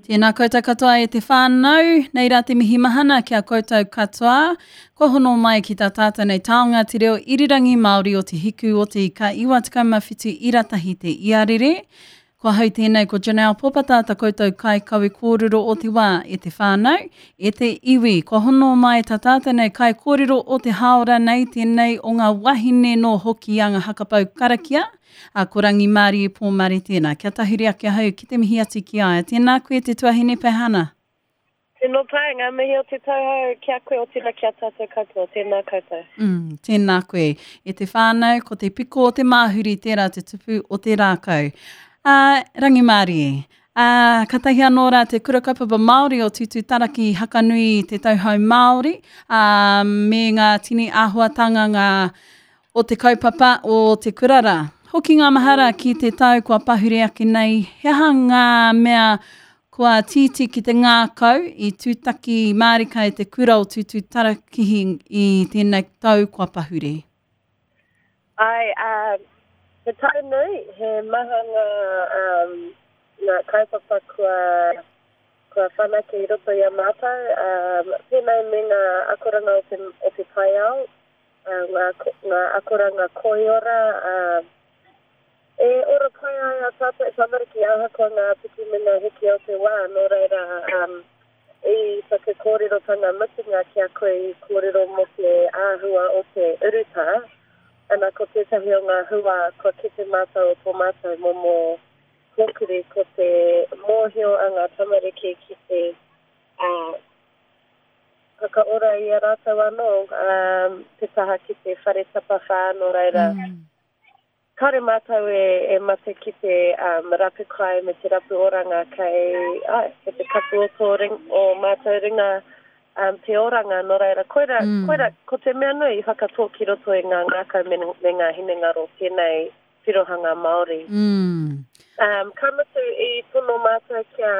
Tēnā koutou katoa e te whānau, nei rā te mihi mahana ki a koutou katoa. Kua hono mai ki tā tātou nei taonga te reo irirangi Māori o Te Hiku o Te Ika 97 ira tahi te iarere. Ko ahau tēnei ko Janelle Popata ta koutou kaikawe kōrero o te wā e te whānau, e te iwi. Kua hono mai tā tātou nei kaikōrero o te hāora nei tēnei o ngā wahine nō Hokianga Hakapau Karakia, a ko Rangimārie Pōmare tēnā. Kia tahuri ake ahau ki te mihi atu ki a ia. Tēnā koe te tuahine Pehana. Tino pai, ngā mihi o te tauhou ki a koe otirā ki a tātou katoa, tēnā koutou. Mm, tēnā koe. E te whānau, ko te piko o te māhuri tērā te tupu o te rākau. Ā, rangimārie. Ā, katahi anō rā te Kura Kaupapa Māori o Tūtūtaraki i hakanui i te tauhou Māori, ā, me ngā tini āhuatanga ngā o te kaupapa o te kura rā. Hoki ngā mahara ki te tau kua pahure ake nei, he aha ngā mea kua tītī ki te ngākau i tūtaki mārika e te kura o Tūtūtarakihi i tēnei tau kua pahure? Āe, ā, he tau nui, he maha ngā, um, ngā kaupapa kua, kua whanake i roto i a mātou, um, pēnei me ngā akoranga o te, o te taiao, ngā, ngā akoranga koiora, ā, e ora pai ai ā tātou tamariki ahakoa ngā piki me ngā heke o te wā, nō reira, i taku kōrerotanga mutunga ki a koe i kōrero mō te āhua o te urutā, ana ko tētahi o ngā hua kua kite mātou o tō mātou momo kōkiri ko te mōhio a ngā tamariki ki te, ā, whakaora i a rātou anō, ā, te taha ki te whare tapawhā, nō reira, kāore mātou e, e mate ki te um, rapu kai me te rapu oranga kei, ai, kei te kapu o tō ring, o mātou ringa um, te oranga, nō reira, koira, mm. koira, ko te mea nui i whakatō ki roto i ngā ngākau me, me ngā hinengaro tēnei tirohanga Māori. Mm. Um, ka mutu i tono mātou kia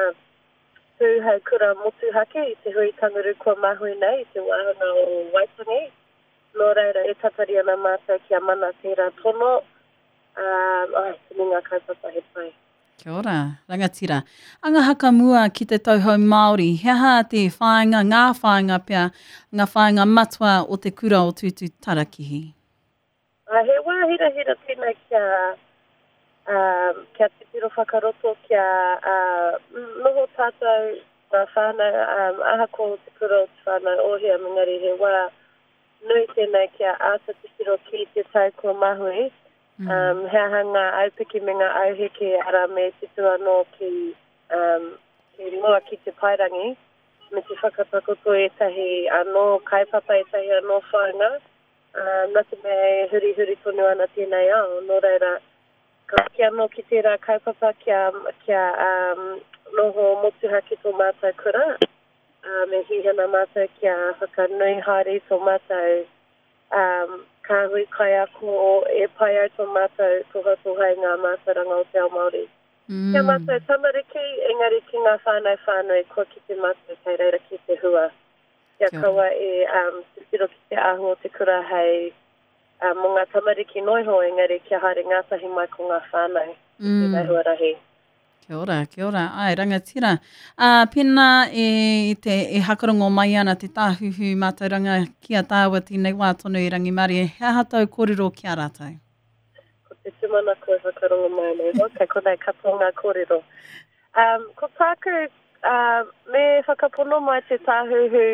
Tū hei kura motuhake i te hui tanguru kua mahue nei i te wāhanga o Waitangi. Nō reira, e tatari ana mātou kia mana tērā tono, ā, āe, tini ngā kaupapa he pai. Kia ora, rangatira. Anga hakamua ki te tauhou Māori, he aha te whāinga, ngā whāinga pea, ngā whāinga matua o te kura o Tūtūtarakihi? Ā, he wā hirahira tēnei kia, ā, kia titiro whakaroto, kia, ā, noho tātou, ngā whānau, ā, ahakoa o te kura o te whānau Ohia, engari he wā nui tēnei kia āta titiro ki te tau kua mahue, ā, he aha ngā aupiki me ngā auheke, arā, me tutu anō ki, ā, ki mua ki te paerangi, me te whakatakoto ētahi anō kaupapa, ētahi anō whāinga. Ā, nā te mea e hurihuri tonu ana tēnei ao, nō reira, ka hoki anō ki tērā kaupapa kia, kia um, noho motuhake tō mātou kura, ā, me hīhana mātou kia whakanui haere i tō mātou um, kāhui kaiako e pai ai tō mātou tohatoha i ngā mātauranga o te ao Māori. Mm. Ki a mātou tamariki, engari ki ngā whānau whānui, kua kite mātou kei reira ki te hua. Kia kaua e titiro ki te āhua o te kura hei mō ngā tamariki noa iho, engari kia haere ngātahi mai ko ngā whānau i tēnei huarahi. Kia ora, kia ora. Āe, rangatira. Ā, pēnā e te, e hakarongo mai ana te tāhuhu mātauranga ki a tāua tēnei wā tonu e Rangimarie, he aha tōu kōrero ki a rātou? Ko te tūmanako e whakarongo mai ana iho, kei konei katoa ngā kōrero. Um, ko tāku, uh, me whakapono mai te tāhuhu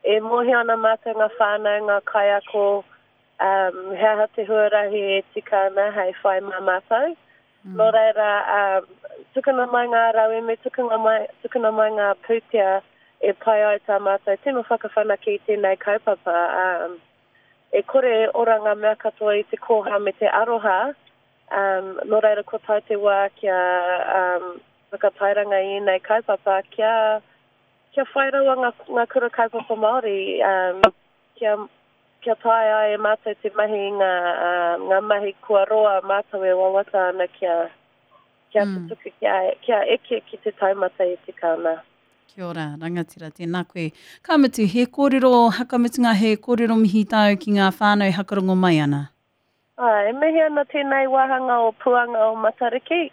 e mōhio ana mātou ngā whānau, ngā kaiako, um, he aha te huarahi e tika ana hei whai mā mātou. Mm. Nō reira, um, tukuna mai ngā rauemi, tukuna mai, tukuna mai ngā pūtea e pai ai tā mātou tino whakawhanake i tēnei kaupapa. Um, e kore e ora ngā mea katoa i te kōha me te aroha, Um, nō reira kua tae te wā kia um, whakatairanga i ēnei kaupapa, kia, kia whai rawa ngā, ngā kura kaupapa Māori, um, kia, kia taea ai e mātou te mahi i ngā, um, ngā mahi kua roa mātou e wawata ana kia, kia mm. tutuki, kia, kia eke ki te taumata e tika ana. Kia ora, rangatira, tēnā koe. Ka mutu, he kōrero hakamutunga, he kōrero mihi tāu ki ngā whānau hakarongo mai ana. Āe, e mihi ana tēnei wāhanga o Puanga o Matariki.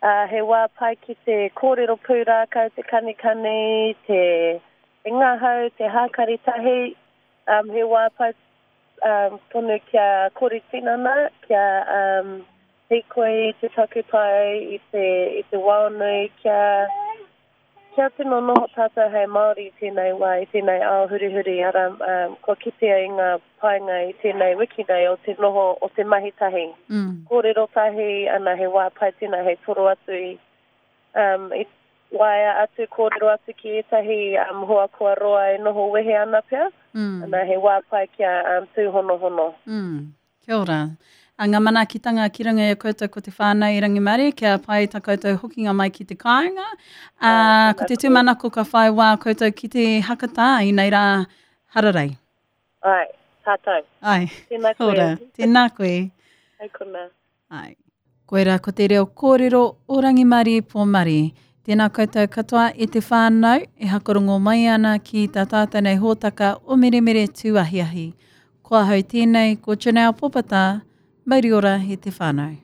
Ā, he wā pai ki te kōrero pūrākau, te kanikani, te ngahau, te hākari tahi. Ā, he wā pai tonu kia kori tinana, kia hīkoi i te takutai, i te, i te waonui, kia, Kia tino noho tātou hei Māori i tēnei wā, i tēnei ao hurihuri, arā, kua kitea i ngā painga i tēnei wiki nei o te noho, o te mahi tahi. Kōrero tahi, ana, he wā pai tēnā hei toro atu i, i waea atu, kōrero atu ki ētahi hoa kua roa e noho wehe ana pea, ana, he wā pai kia tūhonohono. Kia ora. A ngā manaakitanga ki runga i a koutou ko te whānau i Rangimarie, kia pai tā koutou hokinga mai ki te kāinga. A, ko te tūmanako ka whai wā koutou ki te hakatā i nei rā hararei. Ai, tātou. Ai. Tēnā koe. Ora. Tēnā koe. Hei konā. Ai. Koirā ko te reo kōrero o Rangimarie Pomare. Tēnā koutou katoa e te whānau e hakarongo mai ana ki tā tātou nei hōtaka o Meremere Tūahiahi. Ko ahau tēnei, ko Janelle Popata, mauri ora e te whānau.